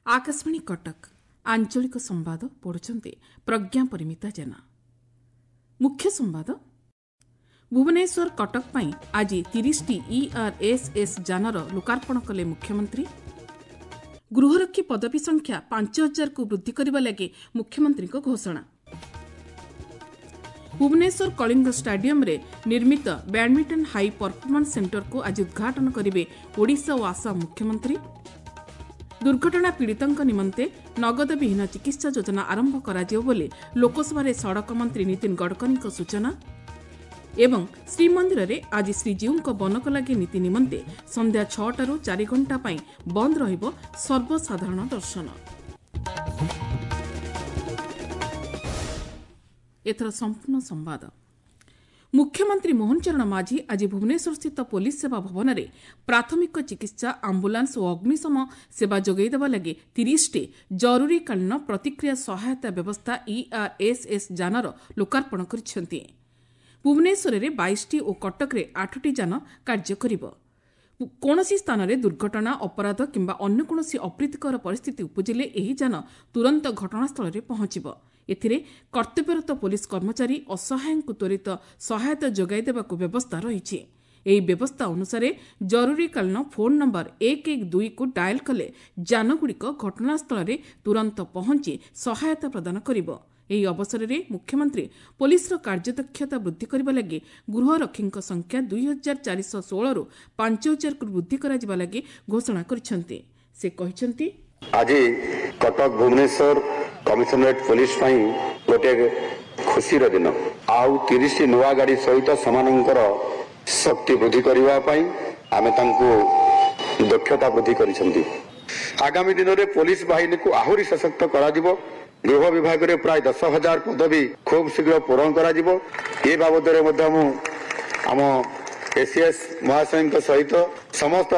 ଆକାଶବାଣୀ କଟକ, ଆଞ୍ଚଳିକ ସମ୍ବାଦ ପଢୁଛନ୍ତି ପ୍ରଜ୍ଞା ପରିମିତା ଜେନା। ମୁଖ୍ୟ ସମ୍ବାଦ। ଭୁବନେଶ୍ୱର କଟକ ପାଇଁ ଆଜି 30ଟି ଇଆର୍ଏସ୍ଏସ୍ ଯାନର ଲୋକାର୍ପଣ କଲେ ମୁଖ୍ୟମନ୍ତ୍ରୀ। ଗୃହରକ୍ଷୀ ପଦବୀ ସଂଖ୍ୟା 5000କୁ ବୃଦ୍ଧି କରିବା ଲାଗି ମୁଖ୍ୟମନ୍ତ୍ରୀଙ୍କ ଘୋଷଣା। ଭୁବନେଶ୍ୱର କଳିଙ୍ଗ ଷ୍ଟାଡିୟମ୍ରେ ନିର୍ମିତ ବ୍ୟାଡ୍ମିଣ୍ଟନ ହାଇ ପରଫର୍ମାନ୍ସ ସେଣ୍ଟରକୁ ଆଜି ଉଦ୍ଘାଟନ କରିବେ ଓଡ଼ିଶା ଓ ଆସାମ ମୁଖ୍ୟମନ୍ତ୍ରୀ। ଦୁର୍ଘଟଣା ପୀଡ଼ିତଙ୍କ ନିମନ୍ତେ ନଗଦବିହୀନ ଚିକିତ୍ସା ଯୋଜନା ଆରମ୍ଭ କରାଯିବ ବୋଲି ଲୋକସଭାରେ ସଡ଼କ ମନ୍ତ୍ରୀ ନୀତିନ ଗଡ଼କରୀଙ୍କ ସୂଚନା। ଏବଂ ଶ୍ରୀମନ୍ଦିରରେ ଆଜି ଶ୍ରୀଜୀଉଙ୍କ ବନକଲାଗି ନୀତି ନିମନ୍ତେ ସନ୍ଧ୍ୟା 6ଟାରୁ 4 ଘଣ୍ଟା ପାଇଁ ବନ୍ଦ ରହିବ ସର୍ବସାଧାରଣ ଦର୍ଶନ। ଏଥର ସମ୍ପୂର୍ଣ୍ଣ ସମ୍ବାଦ। ମୁଖ୍ୟମନ୍ତ୍ରୀ ମୋହନ ଚରଣ ମାଝୀ ଆଜି ଭୁବନେଶ୍ୱରସ୍ଥିତ ପୋଲିସ ସେବା ଭବନରେ ପ୍ରାଥମିକ ଚିକିତ୍ସା, ଆମ୍ବୁଲାନ୍ସ ଓ ଅଗ୍ନିଶମ ସେବା ଯୋଗାଇ ଦେବା ଲାଗି 30ଟି ଜରୁରୀକାଳୀନ ପ୍ରତିକ୍ରିୟା ସହାୟତା ବ୍ୟବସ୍ଥା ଇଆର୍ଏସ୍ଏସ୍ ଯାନର ଲୋକାର୍ପଣ କରିଛନ୍ତି। ଭୁବନେଶ୍ୱରରେ 22ଟି ଓ କଟକରେ 8ଟି ଯାନ କାର୍ଯ୍ୟ କରିବ। କୌଣସି ସ୍ଥାନରେ ଦୁର୍ଘଟଣା, ଅପରାଧ କିମ୍ବା ଅନ୍ୟ କୌଣସି ଅପ୍ରୀତିକର ପରିସ୍ଥିତି ଉପୁଜିଲେ ଏହି ଯାନ ତୁରନ୍ତ ଘଟଣାସ୍ଥଳରେ ପହଞ୍ଚିବ। ଏଥିରେ କର୍ତ୍ତବ୍ୟରତ ପୋଲିସ କର୍ମଚାରୀ ଅସହାୟଙ୍କୁ ତ୍ୱରିତ ସହାୟତା ଯୋଗାଇ ଦେବାକୁ ବ୍ୟବସ୍ଥା ରହିଛି। ଏହି ବ୍ୟବସ୍ଥା ଅନୁସାରେ ଜରୁରୀକାଳୀନ ଫୋନ୍ ନମ୍ବର 112କୁ ଡାଏଲ୍ କଲେ ଯାନଗୁଡ଼ିକ ଘଟଣାସ୍ଥଳରେ ତୁରନ୍ତ ପହଞ୍ଚି ସହାୟତା ପ୍ରଦାନ କରିବ। ଏହି ଅବସରରେ ମୁଖ୍ୟମନ୍ତ୍ରୀ ପୋଲିସର କାର୍ଯ୍ୟଦକ୍ଷତା ବୃଦ୍ଧି କରିବା ଲାଗି ଗୃହରକ୍ଷୀଙ୍କ ସଂଖ୍ୟା 2416ରୁ 5000କୁ ବୃଦ୍ଧି କରାଯିବା ଲାଗି ଘୋଷଣା କରିଛନ୍ତି। ସେ କହିଛନ୍ତି, ଆଜି କଟକ ଭୁବନେଶ୍ୱର କମିଶନରେଟ୍ ପୋଲିସ ପାଇଁ ଗୋଟିଏ ଖୁସିର ଦିନ। ଆଉ 30ଟି ନୂଆ ଗାଡ଼ି ସହିତ ସେମାନଙ୍କର ଶକ୍ତି ବୃଦ୍ଧି କରିବା ପାଇଁ ଆମେ ତାଙ୍କୁ ଦକ୍ଷତା ବୃଦ୍ଧି କରିଛନ୍ତି। ଆଗାମୀ ଦିନରେ ପୋଲିସ ବାହିନୀକୁ ଆହୁରି ସଶକ୍ତ କରାଯିବ। ଗୃହ ବିଭାଗରେ ପ୍ରାୟ 10,000 ପଦବୀ ଖୁବ୍ ଶୀଘ୍ର ପୂରଣ କରାଯିବ। ଏ ବାବଦରେ ମଧ୍ୟ ମୁଁ ଆମ ଏସିଏସ୍ ମହାଶୟଙ୍କ ସହିତ ସମସ୍ତ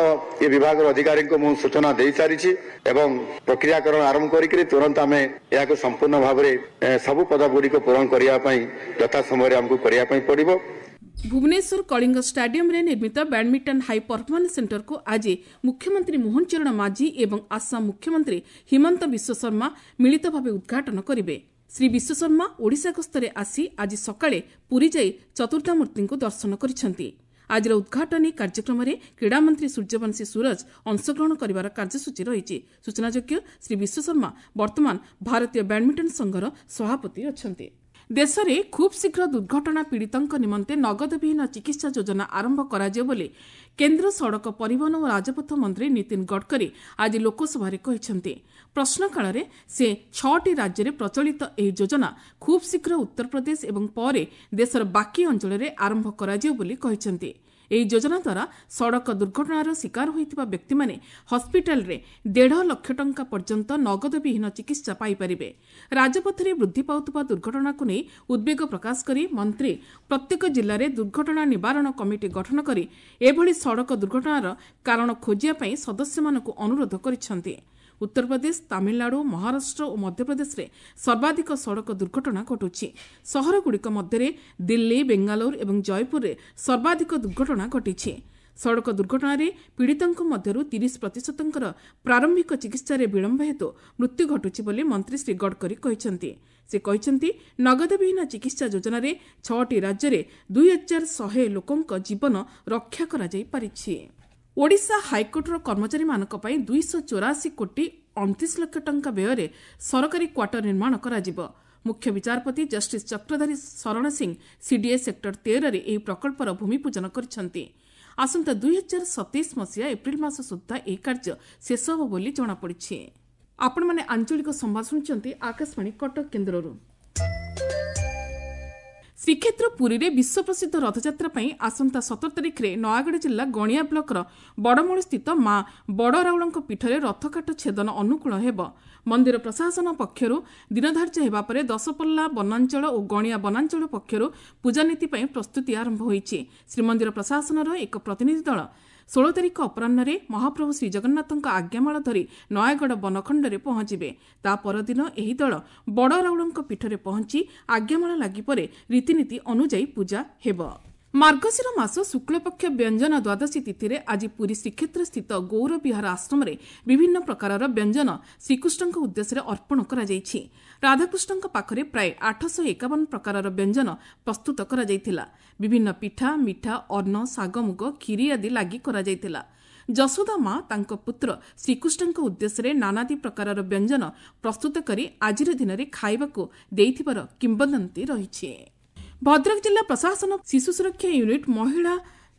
ଏ ବିଭାଗର ଅଧିକାରୀଙ୍କୁ ମୁଁ ସୂଚନା ଦେଇସାରିଛି ଏବଂ ପ୍ରକ୍ରିୟାକରଣ ଆରମ୍ଭ କରିକି ତୁରନ୍ତ ଆମେ ଏହାକୁ ସମ୍ପୂର୍ଣ୍ଣ ଭାବରେ ସବୁ ପଦଗୁଡ଼ିକ ପୂରଣ କରିବା ପାଇଁ ଯଥା ସମୟରେ ଆମକୁ କରିବା ପାଇଁ ପଡ଼ିବ। ଭୁବନେଶ୍ୱର କଳିଙ୍ଗ ଷ୍ଟାଡିୟମ୍ରେ ନିର୍ମିତ ବ୍ୟାଡ୍ମିଣ୍ଟନ ହାଇ ପରଫର୍ମାନ୍ସ ସେଣ୍ଟରକୁ ଆଜି ମୁଖ୍ୟମନ୍ତ୍ରୀ ମୋହନ ଚରଣ ମାଝୀ ଏବଂ ଆସାମ ମୁଖ୍ୟମନ୍ତ୍ରୀ ହିମନ୍ତ ବିଶ୍ୱଶର୍ମା ମିଳିତ ଭାବେ ଉଦ୍ଘାଟନ କରିବେ। ଶ୍ରୀ ବିଶ୍ୱଶର୍ମା ଓଡ଼ିଶା ଗସ୍ତରେ ଆସି ଆଜି ସକାଳେ ପୁରୀ ଯାଇ ଚତୁର୍ଦ୍ଧାମୂର୍ତ୍ତିଙ୍କୁ ଦର୍ଶନ କରିଛନ୍ତି। ଆଜିର ଉଦ୍ଘାଟନୀ କାର୍ଯ୍ୟକ୍ରମରେ କ୍ରୀଡ଼ାମନ୍ତ୍ରୀ ସୂର୍ଯ୍ୟବଂଶୀ ସୂରଜ ଅଂଶଗ୍ରହଣ କରିବାର କାର୍ଯ୍ୟସୂଚୀ ରହିଛି। ସୂଚନାଯୋଗ୍ୟ, ଶ୍ରୀ ବିଶ୍ୱଶର୍ମା ବର୍ତ୍ତମାନ ଭାରତୀୟ ବ୍ୟାଡ୍ମିଣ୍ଟନ ସଂଘର ସଭାପତି ଅଛନ୍ତି। ଦେଶରେ ଖୁବ୍ ଶୀଘ୍ର ଦୁର୍ଘଟଣା ପୀଡ଼ିତଙ୍କ ନିମନ୍ତେ ନଗଦବିହୀନ ଚିକିତ୍ସା ଯୋଜନା ଆରମ୍ଭ କରାଯିବ ବୋଲି କେନ୍ଦ୍ର ସଡ଼କ ପରିବହନ ଓ ରାଜପଥ ମନ୍ତ୍ରୀ ନୀତିନ ଗଡ଼କରୀ ଆଜି ଲୋକସଭାରେ କହିଛନ୍ତି। ପ୍ରଶ୍ନକାଳରେ ସେ 6ଟି ରାଜ୍ୟରେ ପ୍ରଚଳିତ ଏହି ଯୋଜନା ଖୁବ୍ ଶୀଘ୍ର ଉତ୍ତରପ୍ରଦେଶ ଏବଂ ପରେ ଦେଶର ବାକି ଅଞ୍ଚଳରେ ଆରମ୍ଭ କରାଯିବ ବୋଲି କହିଛନ୍ତି। ଏହି ଯୋଜନା ଦ୍ୱାରା ସଡ଼କ ଦୁର୍ଘଟଣାର ଶିକାର ହୋଇଥିବା ବ୍ୟକ୍ତିମାନେ ହସ୍ପିଟାଲରେ 1.5 ଲକ୍ଷ ଟଙ୍କା ପର୍ଯ୍ୟନ୍ତ ନଗଦବିହୀନ ଚିକିତ୍ସା ପାଇପାରିବେ। ରାଜପଥରେ ବୃଦ୍ଧି ପାଉଥିବା ଦୁର୍ଘଟଣାକୁ ନେଇ ଉଦ୍ବେଗ ପ୍ରକାଶ କରି ମନ୍ତ୍ରୀ ପ୍ରତ୍ୟେକ ଜିଲ୍ଲାରେ ଦୁର୍ଘଟଣା ନିବାରଣ କମିଟି ଗଠନ କରି ଏଭଳି ସଡ଼କ ଦୁର୍ଘଟଣାର କାରଣ ଖୋଜିବା ପାଇଁ ସଦସ୍ୟମାନଙ୍କୁ ଅନୁରୋଧ କରିଛନ୍ତି। ଉତ୍ତରପ୍ରଦେଶ, ତାମିଲନାଡୁ, ମହାରାଷ୍ଟ୍ର ଓ ମଧ୍ୟପ୍ରଦେଶରେ ସର୍ବାଧିକ ସଡ଼କ ଦୁର୍ଘଟଣା ଘଟୁଛି। ସହରଗୁଡ଼ିକ ମଧ୍ୟରେ ଦିଲ୍ଲୀ, ବେଙ୍ଗାଲୁରୁ ଏବଂ ଜୟପୁରରେ ସର୍ବାଧିକ ଦୁର୍ଘଟଣା ଘଟିଛି। ସଡ଼କ ଦୁର୍ଘଟଣାରେ ପୀଡ଼ିତଙ୍କ ମଧ୍ୟରୁ 30%ଙ୍କର ପ୍ରାରମ୍ଭିକ ଚିକିତ୍ସାରେ ବିଳମ୍ବ ହେତୁ ମୃତ୍ୟୁ ଘଟୁଛି ବୋଲି ମନ୍ତ୍ରୀ ଶ୍ରୀ ଗଡ଼କରୀ କହିଛନ୍ତି। ସେ କହିଛନ୍ତି, ନଗଦବିହୀନ ଚିକିତ୍ସା ଯୋଜନାରେ 6ଟି ରାଜ୍ୟରେ 2100 ଲୋକଙ୍କ ଜୀବନ ରକ୍ଷା କରାଯାଇପାରିଛି। ଓଡ଼ିଶା ହାଇକୋର୍ଟର କର୍ମଚାରୀମାନଙ୍କ ପାଇଁ 284 କୋଟି 29 ଲକ୍ଷ ଟଙ୍କା ବ୍ୟୟରେ ସରକାରୀ କ୍ୱାର୍ଟର ନିର୍ମାଣ କରାଯିବ। ମୁଖ୍ୟ ବିଚାରପତି ଜଷ୍ଟିସ୍ ଚକ୍ରଧାରୀ ଶରଣ ସିଂ ସିଡିଏ ସେକ୍ଟର 13ରେ ଏହି ପ୍ରକଳ୍ପର ଭୂମିପୂଜନ କରିଛନ୍ତି। ଆସନ୍ତା 2027 ମସିହା ଏପ୍ରିଲ ମାସ ସୁଦ୍ଧା ଏହି କାର୍ଯ୍ୟ ଶେଷ ହେବ ବୋଲି ଜଣାପଡ଼ିଛି। ଆପଣମାନେ ଆଞ୍ଚଳିକ ସମ୍ବାଦ ଶୁଣୁଛନ୍ତି ଆକାଶବାଣୀ କଟକ କେନ୍ଦ୍ରରୁ। ଶ୍ରୀକ୍ଷେତ୍ର ପୁରୀରେ ବିଶ୍ୱପ୍ରସିଦ୍ଧ ରଥଯାତ୍ରା ପାଇଁ ଆସନ୍ତା 17 ତାରିଖରେ ନୟାଗଡ଼ ଜିଲ୍ଲା ଗଣିଆ ବ୍ଲକର ବଡ଼ମୂଳସ୍ଥିତ ମା ବଡ଼ରାଉଳଙ୍କ ପୀଠରେ ରଥକାଠ ଛେଦନ ଅନୁକୂଳ ହେବ। ମନ୍ଦିର ପ୍ରଶାସନ ପକ୍ଷରୁ ଦିନଧାର୍ଯ୍ୟ ହେବା ପରେ ଦଶପଲ୍ଲା ବନାଞ୍ଚଳ ଓ ଗଣିଆ ବନାଞ୍ଚଳ ପକ୍ଷରୁ ପୂଜାନୀତି ପାଇଁ ପ୍ରସ୍ତୁତି ଆରମ୍ଭ ହୋଇଛି। ଶ୍ରୀମନ୍ଦିର ପ୍ରଶାସନର ଏକ ପ୍ରତିନିଧି ଦଳ 16 ତାରିଖ ଅପରାହ୍ନରେ ମହାପ୍ରଭୁ ଶ୍ରୀଜଗନ୍ନାଥଙ୍କ ଆଜ୍ଞାମାଳ ଧରି ନୟାଗଡ଼ ବନଖଣ୍ଡରେ ପହଞ୍ଚିବେ। ତା ପରଦିନ ଏହି ଦଳ ବଡ଼ରାଉଳଙ୍କ ପୀଠରେ ପହଞ୍ଚି ଆଜ୍ଞାମାଳ ଲାଗି ପରେ ରୀତିନୀତି ଅନୁଯାୟୀ ପୂଜା ହେବ। ମାର୍ଗଶିର ମାସ ଶୁକ୍ଳପକ୍ଷ ବ୍ୟଞ୍ଜନ ଦ୍ୱାଦଶୀ ତିଥିରେ ଆଜି ପୁରୀ ଶ୍ରୀକ୍ଷେତ୍ରସ୍ଥିତ ଗୌରବିହାର ଆଶ୍ରମରେ ବିଭିନ୍ନ ପ୍ରକାରର ବ୍ୟଞ୍ଜନ ଶ୍ରୀକୃଷ୍ଣଙ୍କ ଉଦ୍ଦେଶ୍ୟରେ ଅର୍ପଣ କରାଯାଇଛି। ରାଧାକୃଷ୍ଣଙ୍କ ପାଖରେ ପ୍ରାୟ 851 ପ୍ରକାରର ବ୍ୟଞ୍ଜନ ପ୍ରସ୍ତୁତ କରାଯାଇଥିଲା। ବିଭିନ୍ନ ପିଠା, ମିଠା, ଅନ୍ନ, ଶାଗମୁଗ, କ୍ଷୀରି ଆଦି ଲାଗି କରାଯାଇଥିଲା। ଯଶୋଦା ମା ତାଙ୍କ ପୁତ୍ର ଶ୍ରୀକୃଷ୍ଣଙ୍କ ଉଦ୍ଦେଶ୍ୟରେ ନାନାଦି ପ୍ରକାରର ବ୍ୟଞ୍ଜନ ପ୍ରସ୍ତୁତ କରି ଆଜିର ଦିନରେ ଖାଇବାକୁ ଦେଇଥିବାର କିମ୍ବଦନ୍ତୀ ରହିଛି। ଭଦ୍ରକ ଜିଲ୍ଲା ପ୍ରଶାସନ ଶିଶୁ ସୁରକ୍ଷା ୟୁନିଟ୍ ମହିଳା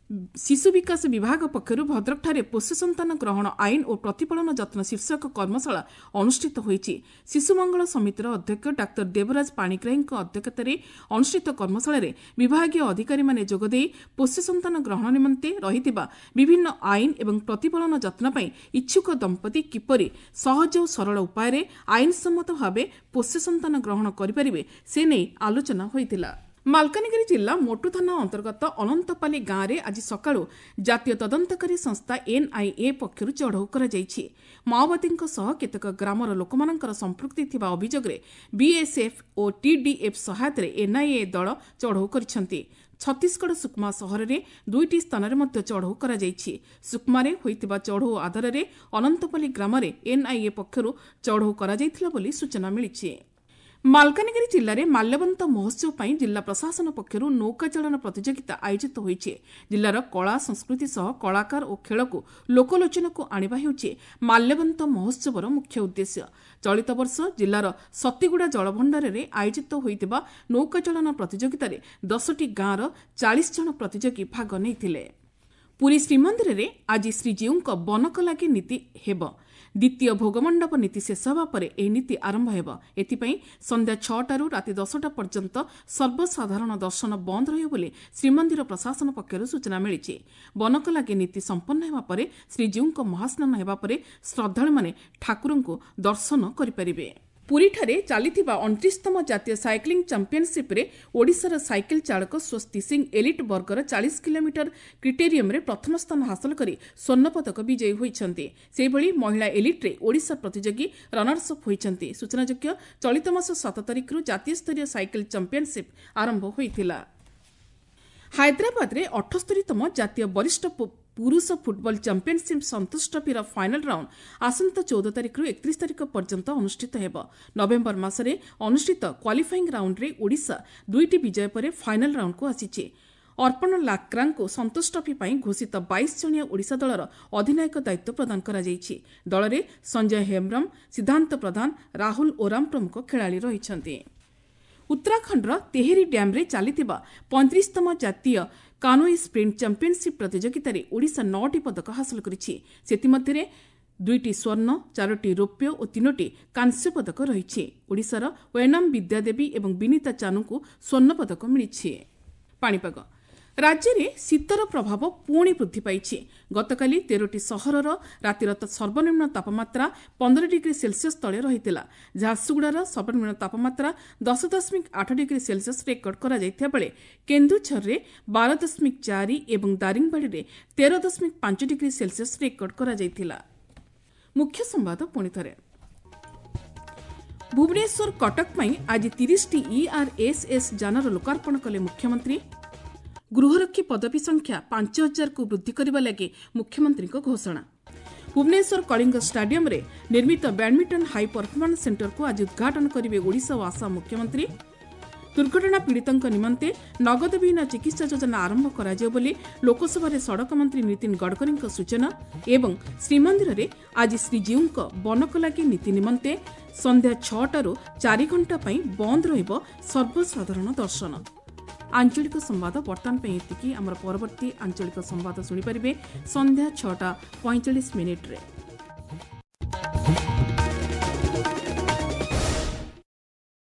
ଶିଶୁ ବିକାଶ ବିଭାଗ ପକ୍ଷରୁ ଭଦ୍ରକଠାରେ ପୋଷ୍ୟ ସନ୍ତାନ ଗ୍ରହଣ ଆଇନ ଓ ପ୍ରତିପାଳନ ଯତ୍ନ ଶୀର୍ଷକ କର୍ମଶାଳା ଅନୁଷ୍ଠିତ ହୋଇଛି। ଶିଶୁ ମଙ୍ଗଳ ସମିତିର ଅଧ୍ୟକ୍ଷ ଡାକ୍ତର ଦେବରାଜ ପାଣିଗ୍ରାହୀଙ୍କ ଅଧ୍ୟକ୍ଷତାରେ ଅନୁଷ୍ଠିତ କର୍ମଶାଳାରେ ବିଭାଗୀୟ ଅଧିକାରୀମାନେ ଯୋଗଦେଇ ପୋଷ୍ୟ ସନ୍ତାନ ଗ୍ରହଣ ନିମନ୍ତେ ରହିଥିବା ବିଭିନ୍ନ ଆଇନ ଏବଂ ପ୍ରତିପାଳନ ଯତ୍ନ ପାଇଁ ଇଚ୍ଛୁକ ଦମ୍ପତି କିପରି ସହଜ ଓ ସରଳ ଉପାୟରେ ଆଇନସମ୍ମତ ଭାବେ ପୋଷ୍ୟ ସନ୍ତାନ ଗ୍ରହଣ କରିପାରିବେ ସେ ନେଇ ଆଲୋଚନା ହୋଇଥିଲା। ମାଲକାନଗିରି ଜିଲ୍ଲା ମୋଟୁ ଥାନା ଅନ୍ତର୍ଗତ ଅନନ୍ତପାଲି ଗାଁରେ ଆଜି ସକାଳୁ ଜାତୀୟ ତଦନ୍ତକାରୀ ସଂସ୍ଥା ଏନ୍ଆଇଏ ପକ୍ଷରୁ ଚଢ଼ଉ କରାଯାଇଛି। ମାଓବାଦୀଙ୍କ ସହ କେତେକ ଗ୍ରାମର ଲୋକମାନଙ୍କର ସମ୍ପୃକ୍ତି ଥିବା ଅଭିଯୋଗରେ ବିଏସ୍ଏଫ୍ ଓ ଟିଡିଏଫ୍ ସହାୟତାରେ ଏନ୍ଆଇଏ ଦଳ ଚଢ଼ଉ କରିଛନ୍ତି। ଛତିଶଗଡ଼ ସୁକମା ସହରରେ 2ଟି ସ୍ଥାନରେ ମଧ୍ୟ ଚଢ଼ଉ କରାଯାଇଛି। ସୁକମାରେ ହୋଇଥିବା ଚଢ଼ଉ ଆଧାରରେ ଅନନ୍ତପାଲି ଗ୍ରାମରେ ଏନ୍ଆଇଏ ପକ୍ଷରୁ ଚଢ଼ଉ କରାଯାଇଥିଲା ବୋଲି ସୂଚନା ମିଳିଛି। ମାଲକାନଗିରି ଜିଲ୍ଲାରେ ମାଲ୍ୟବନ୍ତ ମହୋତ୍ସବ ପାଇଁ ଜିଲ୍ଲା ପ୍ରଶାସନ ପକ୍ଷରୁ ନୌକା ଚାଳନ ପ୍ରତିଯୋଗିତା ଆୟୋଜିତ ହୋଇଛି। ଜିଲ୍ଲାର କଳା ସଂସ୍କୃତି ସହ କଳାକାର ଓ ଖେଳକୁ ଲୋକଲୋଚନକୁ ଆଣିବା ହେଉଛି ମାଲ୍ୟବନ୍ତ ମହୋତ୍ସବର ମୁଖ୍ୟ ଉଦ୍ଦେଶ୍ୟ। ଚଳିତ ବର୍ଷ ଜିଲ୍ଲାର ସତୀଗୁଡ଼ା ଜଳଭଣ୍ଡାରରେ ଆୟୋଜିତ ହୋଇଥିବା ନୌକା ଚାଳନ ପ୍ରତିଯୋଗିତାରେ 10ଟି ଗାଁର 40 ଜଣ ପ୍ରତିଯୋଗୀ ଭାଗ ନେଇଥିଲେ। ପୁରୀ ଶ୍ରୀମନ୍ଦିରରେ ଆଜି ଶ୍ରୀଜୀଉଙ୍କ ବନକଲାଗି ନୀତି ହେବ। ଦ୍ୱିତୀୟ ଭୋଗମଣ୍ଡପ ନୀତି ଶେଷ ହେବା ପରେ ଏହି ନୀତି ଆରମ୍ଭ ହେବ। ଏଥିପାଇଁ ସନ୍ଧ୍ୟା 6ଟାରୁ ରାତି 10ଟା ପର୍ଯ୍ୟନ୍ତ ସର୍ବସାଧାରଣ ଦର୍ଶନ ବନ୍ଦ ରହିବ ବୋଲି ଶ୍ରୀମନ୍ଦିର ପ୍ରଶାସନ ପକ୍ଷରୁ ସୂଚନା ମିଳିଛି। ବନକଲାଗି ନୀତି ସମ୍ପନ୍ନ ହେବା ପରେ ଶ୍ରୀଜୀଉଙ୍କ ମହାସ୍ନାନ ହେବା ପରେ ଶ୍ରଦ୍ଧାଳୁମାନେ ଠାକୁରଙ୍କୁ ଦର୍ଶନ କରିପାରିବେ। ପୁରୀଠାରେ ଚାଲିଥିବା 29ତମ ଜାତୀୟ ସାଇକ୍ଲିଂ ଚାମ୍ପିୟନସିପ୍ରେ ଓଡ଼ିଶାର ସାଇକେଲ ଚାଳକ ସ୍ୱସ୍ତି ସିଂ ଏଲିଟ୍ ବର୍ଗର 40 କିଲୋମିଟର କ୍ରିଟେରିୟମ୍ରେ ପ୍ରଥମ ସ୍ଥାନ ହାସଲ କରି ସ୍ୱର୍ଣ୍ଣପଦକ ବିଜୟୀ ହୋଇଛନ୍ତି। ସେହିଭଳି ମହିଳା ଏଲିଟ୍ରେ ଓଡ଼ିଶା ପ୍ରତିଯୋଗୀ ରନର୍ସ ଅପ୍ ହୋଇଛନ୍ତି। ସୂଚନାଯୋଗ୍ୟ, ଚଳିତ ମାସ 7 ତାରିଖରୁ ଜାତୀୟ ସ୍ତରୀୟ ସାଇକେଲ ଚାମ୍ପିୟନସିପ୍ ଆରମ୍ଭ ହୋଇଥିଲା। ହାଇଦ୍ରାବାଦରେ 78ତମ ଜାତୀୟ ବରିଷ୍ଠ ପୁରୁଷ ଫୁଟବଲ ଚାମ୍ପିୟନସିପ୍ ସନ୍ତୋଷ ଟ୍ରଫିର ଫାଇନାଲ ରାଉଣ୍ଡ ଆସନ୍ତା 14 ତାରିଖରୁ 31 ତାରିଖ ପର୍ଯ୍ୟନ୍ତ ଅନୁଷ୍ଠିତ ହେବ। ନଭେମ୍ବର ମାସରେ ଅନୁଷ୍ଠିତ କ୍ୱାଲିଫାଇଂ ରାଉଣ୍ଡରେ ଓଡ଼ିଶା 2ଟି ବିଜୟ ପରେ ଫାଇନାଲ ରାଉଣ୍ଡକୁ ଆସିଛି। ଅର୍ପଣ ଲାକ୍ରାଙ୍କୁ ସନ୍ତୋଷ ଟ୍ରଫି ପାଇଁ ଘୋଷିତ 22 ଜଣିଆ ଓଡ଼ିଶା ଦଳର ଅଧିନାୟକ ଦାୟିତ୍ୱ ପ୍ରଦାନ କରାଯାଇଛି। ଦଳରେ ସଞ୍ଜୟ ହେମ୍ବ୍ରମ, ସିଦ୍ଧାନ୍ତ ପ୍ରଧାନ, ରାହୁଲ ଓରାମ ପ୍ରମୁଖ ଖେଳାଳି ରହିଛନ୍ତି। ଉତ୍ତରାଖଣ୍ଡର ତେହେରି ଡ୍ୟାମ୍ରେ ଚାଲିଥିବା 35ତମ ଜାତୀୟ କାନୋଇ ସ୍ପ୍ରିଣ୍ଟ ଚାମ୍ପିୟନସିପ୍ ପ୍ରତିଯୋଗିତାରେ ଓଡ଼ିଶା 9ଟି ପଦକ ହାସଲ କରିଛି। ସେଥିମଧ୍ୟରେ 2ଟି ସ୍ୱର୍ଣ୍ଣ, 4ଟି ରୌପ୍ୟ ଓ 3ଟି କାଂସ୍ୟ ପଦକ ରହିଛି। ଓଡ଼ିଶାର ୱେନାମ ବିଦ୍ୟାଦେବୀ ଏବଂ ବିନିତା ଚାନୁଙ୍କୁ ସ୍ୱର୍ଣ୍ଣ ପଦକ ମିଳିଛି। ପାଣିପାଗ ରାଜ୍ୟରେ ଶୀତର ପ୍ରଭାବ ପୁଣି ବୃଦ୍ଧି ପାଇଛି। ଗତକାଲି 13ଟି ସହରର ରାତିର ସର୍ବନିମ୍ନ ତାପମାତ୍ରା 15 ଡିଗ୍ରୀ ସେଲସିୟସ୍ ତଳେ ରହିଥିଲା। ଝାରସୁଗୁଡ଼ାର ସର୍ବନିମ୍ନ ତାପମାତ୍ରା 10.8 ଡିଗ୍ରୀ ସେଲସିୟସ୍ ରେକର୍ଡ କରାଯାଇଥିବା ବେଳେ କେନ୍ଦୁଝରରେ 12.4 ଏବଂ ଦାରିଙ୍ଗବାଡ଼ିରେ 13.5 ଡିଗ୍ରୀ ସେଲସିୟସ୍ ରେକର୍ଡ କରାଯାଇଥିଲା। ମୁଖ୍ୟ ସମ୍ବାଦ ପୁଣି ଥରେ। ଭୁବନେଶ୍ୱର କଟକ ପାଇଁ ଆଜି 30ଟି ଇଆର୍ଏସ୍ଏସ୍ ଯାନର ଲୋକାର୍ପଣ କଲେ ମୁଖ୍ୟମନ୍ତ୍ରୀ। ଗୃହରକ୍ଷୀ ପଦବୀ ସଂଖ୍ୟା 5000କୁ ବୃଦ୍ଧି କରିବା ଲାଗି ମୁଖ୍ୟମନ୍ତ୍ରୀଙ୍କ ଘୋଷଣା। ଭୁବନେଶ୍ୱର କଳିଙ୍ଗ ଷ୍ଟାଡିୟମରେ ନିର୍ମିତ ବ୍ୟାଡମିଣ୍ଟନ ହାଇ ପରଫର୍ମାନ୍ସ ସେଣ୍ଟରକୁ ଆଜି ଉଦ୍ଘାଟନ କରିବେ ଓଡ଼ିଶା ଓ ଆସାମ ମୁଖ୍ୟମନ୍ତ୍ରୀ। ଦୁର୍ଘଟଣା ପୀଡ଼ିତଙ୍କ ନିମନ୍ତେ ନଗଦବିହୀନ ଚିକିତ୍ସା ଯୋଜନା ଆରମ୍ଭ କରାଯିବ ବୋଲି ଲୋକସଭାରେ ସଡ଼କ ମନ୍ତ୍ରୀ ନୀତିନ ଗଡ଼କରୀଙ୍କ ସୂଚନା। ଏବଂ ଶ୍ରୀମନ୍ଦିରରେ ଆଜି ଶ୍ରୀଜୀଉଙ୍କ ବନକଲାଗି ନୀତି ନିମନ୍ତେ ସନ୍ଧ୍ୟା 6ଟାରୁ 4 ଘଣ୍ଟା ପାଇଁ ବନ୍ଦ ରହିବ ସର୍ବସାଧାରଣ ଦର୍ଶନ। ଆଞ୍ଚଳିକ ସମ୍ବାଦ ବର୍ତ୍ତମାନ ପାଇଁ ଏତିକି। ଆମର ପରବର୍ତ୍ତୀ ଆଞ୍ଚଳିକ ସମ୍ବାଦ ଶୁଣିପାରିବେ ସନ୍ଧ୍ୟା 6ଟା 45 ମିନିଟ୍ରେ।